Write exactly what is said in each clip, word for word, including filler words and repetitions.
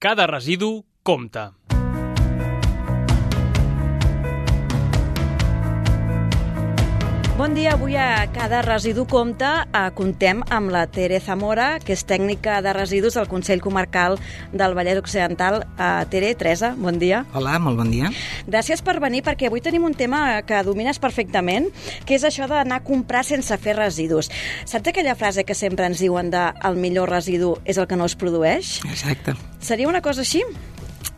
Cada residu compta. Bon dia, avui a Cada residu compta eh, contem amb la Tere Zamora, que és tècnica de residus del Consell Comarcal del Vallès Occidental. Eh, Tere, Teresa, bon dia. Hola, molt bon dia. Gràcies per venir, perquè avui tenim un tema que domines perfectament, que és això d'anar a comprar sense fer residus. Saps aquella frase que sempre ens diuen de el millor residu és el que no es produeix? Exacte. Seria una cosa així?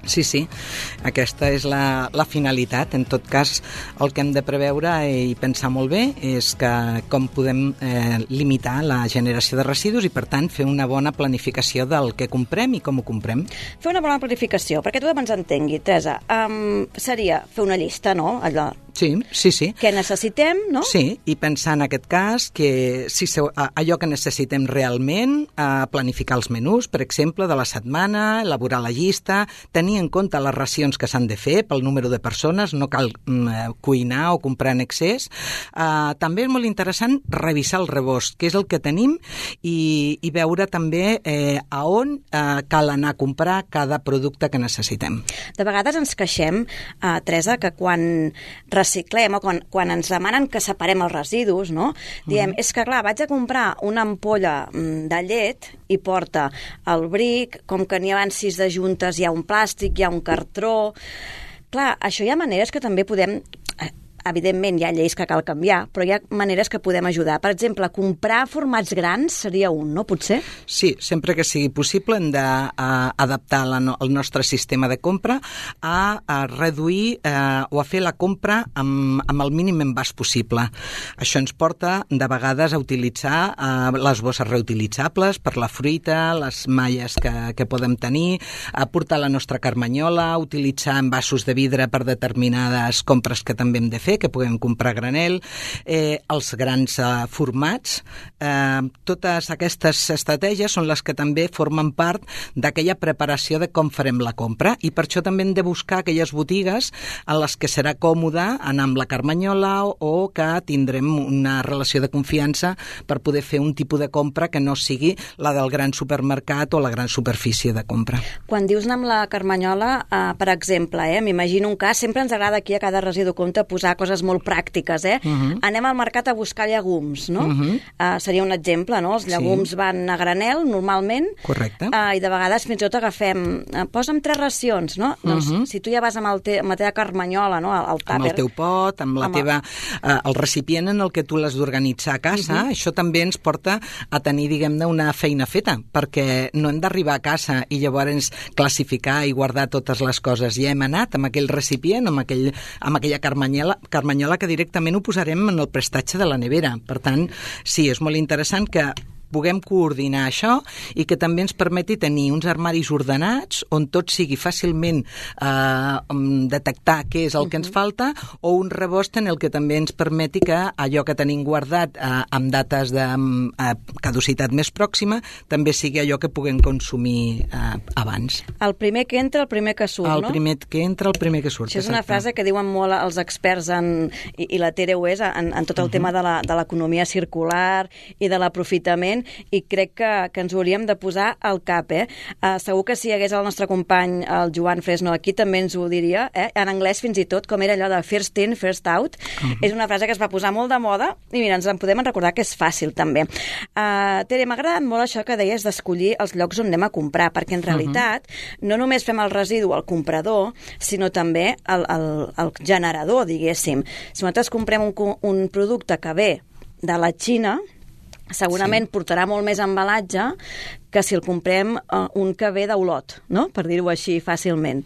Sí, sí, aquesta és la, la finalitat. En tot cas, el que hem de preveure i pensar molt bé és que com podem eh, limitar la generació de residus i, per tant, fer una bona planificació del que comprem i com ho comprem. Fer una bona planificació, perquè tothom ens entengui, Teresa, um, seria fer una llista, no? Allò. Sí, sí, sí. Què necessitem, no? Sí, i pensar en aquest cas que si se, allò que necessitem realment, eh, planificar els menús, per exemple, de la setmana, elaborar la llista, tenir en compte les racions que s'han de fer pel número de persones, no cal mm, cuinar o comprar en excés. Eh, també és molt interessant revisar el rebost, que és el que tenim, i, i veure també eh, a on eh, cal anar a comprar cada producte que necessitem. De vegades ens queixem, eh, Teresa, que quan reciclem o quan, quan ens demanen que separem els residus, no? Diem, mm. és que clar, vaig a comprar una ampolla de llet i porta el bric, com que n'hi ha sis de juntes, hi ha un plàstic, hi ha un cartró. Clar, això hi ha maneres que també podem... Evidentment, hi ha lleis que cal canviar, però hi ha maneres que podem ajudar. Per exemple, comprar formats grans seria un, no? Potser? Sí, sempre que sigui possible hem d'adaptar no, el nostre sistema de compra a, a reduir eh, o a fer la compra amb, amb el mínim envàs possible. Això ens porta, de vegades, a utilitzar eh, les bosses reutilitzables per la fruita, les malles que, que podem tenir, a portar la nostra carmanyola, a utilitzar envasos de vidre per determinades compres que també hem de fer, que puguem comprar a granel, eh, els grans eh, formats. Eh, totes aquestes estratègies són les que també formen part d'aquella preparació de com farem la compra, i per això també hem de buscar aquelles botigues en les que serà còmode anar amb la carmanyola o, o que tindrem una relació de confiança per poder fer un tipus de compra que no sigui la del gran supermercat o la gran superfície de compra. Quan dius anar amb la carmanyola, eh, per exemple, eh, m'imagino un cas, sempre ens agrada aquí a Cada residu compte posar coses molt pràctiques, eh? Uh-huh. Anem al mercat a buscar llegums, no? Uh-huh. Uh, seria un exemple, no? Els llegums sí. van a granel, normalment. Correcte. Uh, I de vegades fins i tot agafem... Uh, posa'm tres racions, no? Uh-huh. Doncs si tu ja vas amb, el te, amb la teva carmanyola, no? El, el tàper... Amb el teu pot, amb la amb teva... Uh, el recipient en el que tu l'has d'organitzar a casa, uh-huh. això també ens porta a tenir, diguem-ne, una feina feta, perquè no hem d'arribar a casa i llavors classificar i guardar totes les coses. Ja hem anat amb aquell recipient, amb, aquell, amb aquella carmanyola, carmanyola que directament ho posarem en el prestatge de la nevera. Per tant, sí, és molt interessant que puguem coordinar això i que també ens permeti tenir uns armaris ordenats on tot sigui fàcilment eh, detectar què és el que ens falta, o un rebost en el que també ens permeti que allò que tenim guardat eh, amb dates de eh, caducitat més pròxima també sigui allò que puguem consumir eh, abans. El primer que entra, el primer que surt, el no? El primer que entra, el primer que surt. Això és una exacte. Frase que diuen molt els experts en, i, i la Tere ho és, en, en tot el uh-huh. tema de la, de l'economia circular i de l'aprofitament, i crec que, que ens ho hauríem de posar al cap, eh? Uh, segur que si hi hagués el nostre company, el Joan Fresno, aquí també ens ho diria, eh? En anglès fins i tot, com era allò de first in, first out. Uh-huh. És una frase que es va posar molt de moda i mira, ens en podem recordar que és fàcil també. Uh, Tere, m'ha agradat molt això que deies d'escollir els llocs on anem a comprar, perquè en realitat uh-huh. no només fem el residu al comprador, sinó també el, el, el generador, diguéssim. Si nosaltres comprem un, un producte que ve de la Xina, segurament sí. portarà molt més embalatge que si el comprem uh, un que ve d'Olot, no? Per dir-ho així fàcilment.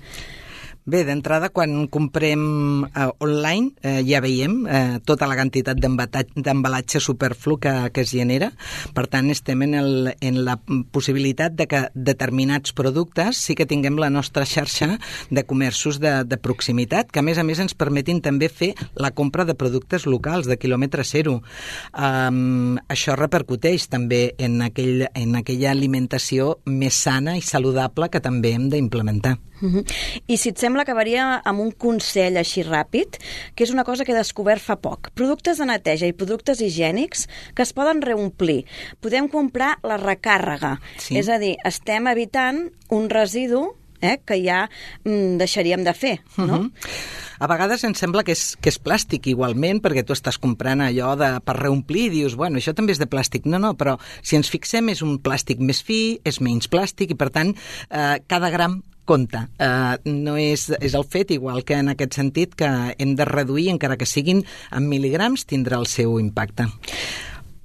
Bé, d'entrada, quan comprem eh, online, eh, ja veiem eh, tota la quantitat d'embalatge superflu que, que es genera. Per tant, estem en, el, en la possibilitat de que determinats productes sí que tinguem la nostra xarxa de comerços de, de proximitat, que a més a més ens permetin també fer la compra de productes locals, de quilòmetre zero. Um, això repercuteix també en, aquell, en aquella alimentació més sana i saludable que també hem d'implementar. Uh-huh. I si et sembla, acabaria amb un consell així ràpid, que és una cosa que he descobert fa poc. Productes de neteja i productes higiènics que es poden reomplir. Podem comprar la recàrrega. Sí. És a dir, estem evitant un residu eh, que ja mm, deixaríem de fer, no? Uh-huh. A vegades ens sembla que és, que és plàstic igualment, perquè tu estàs comprant allò de, per reomplir i dius, bueno, això també és de plàstic. No, no, però si ens fixem és un plàstic més fi, és menys plàstic i per tant eh, cada gram compte. Uh, no és, és el fet, igual que en aquest sentit, que hem de reduir, encara que siguin en mil·ligrams, tindrà el seu impacte.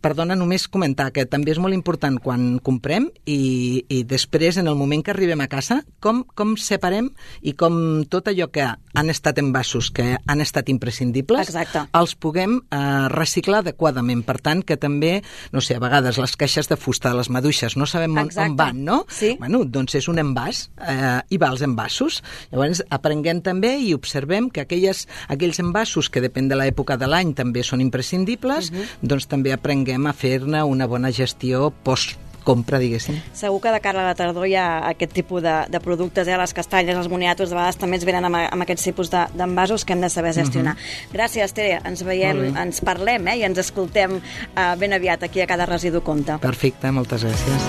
Perdona, només comentar que també és molt important quan comprem i, i després, en el moment que arribem a casa, com, com separem i com tot allò que han estat envasos, que han estat imprescindibles, Exacte. els puguem eh, reciclar adequadament. Per tant, que també, no sé, a vegades les caixes de fusta, les maduixes, no sabem on, on van, no? Sí. Bueno, doncs és un envàs eh, i va als envasos. Llavors, aprenguem també i observem que aquelles, aquells envasos que depèn de l'època de l'any també són imprescindibles, uh-huh. doncs també aprenguem a fer-ne una bona gestió post-compra, diguéssim. Segur que de cara a la tardor hi ha aquest tipus de, de productes, eh? Les castanyes, els moniatos, de vegades també ens venen amb, amb aquests tipus de, d'envasos que hem de saber gestionar. Uh-huh. Gràcies, Tere. Ens veiem, ens parlem eh? I ens escoltem eh, ben aviat aquí a Cada Residu Compta. Perfecte, moltes gràcies.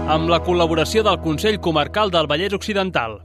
Amb la col·laboració del Consell Comarcal del Vallès Occidental.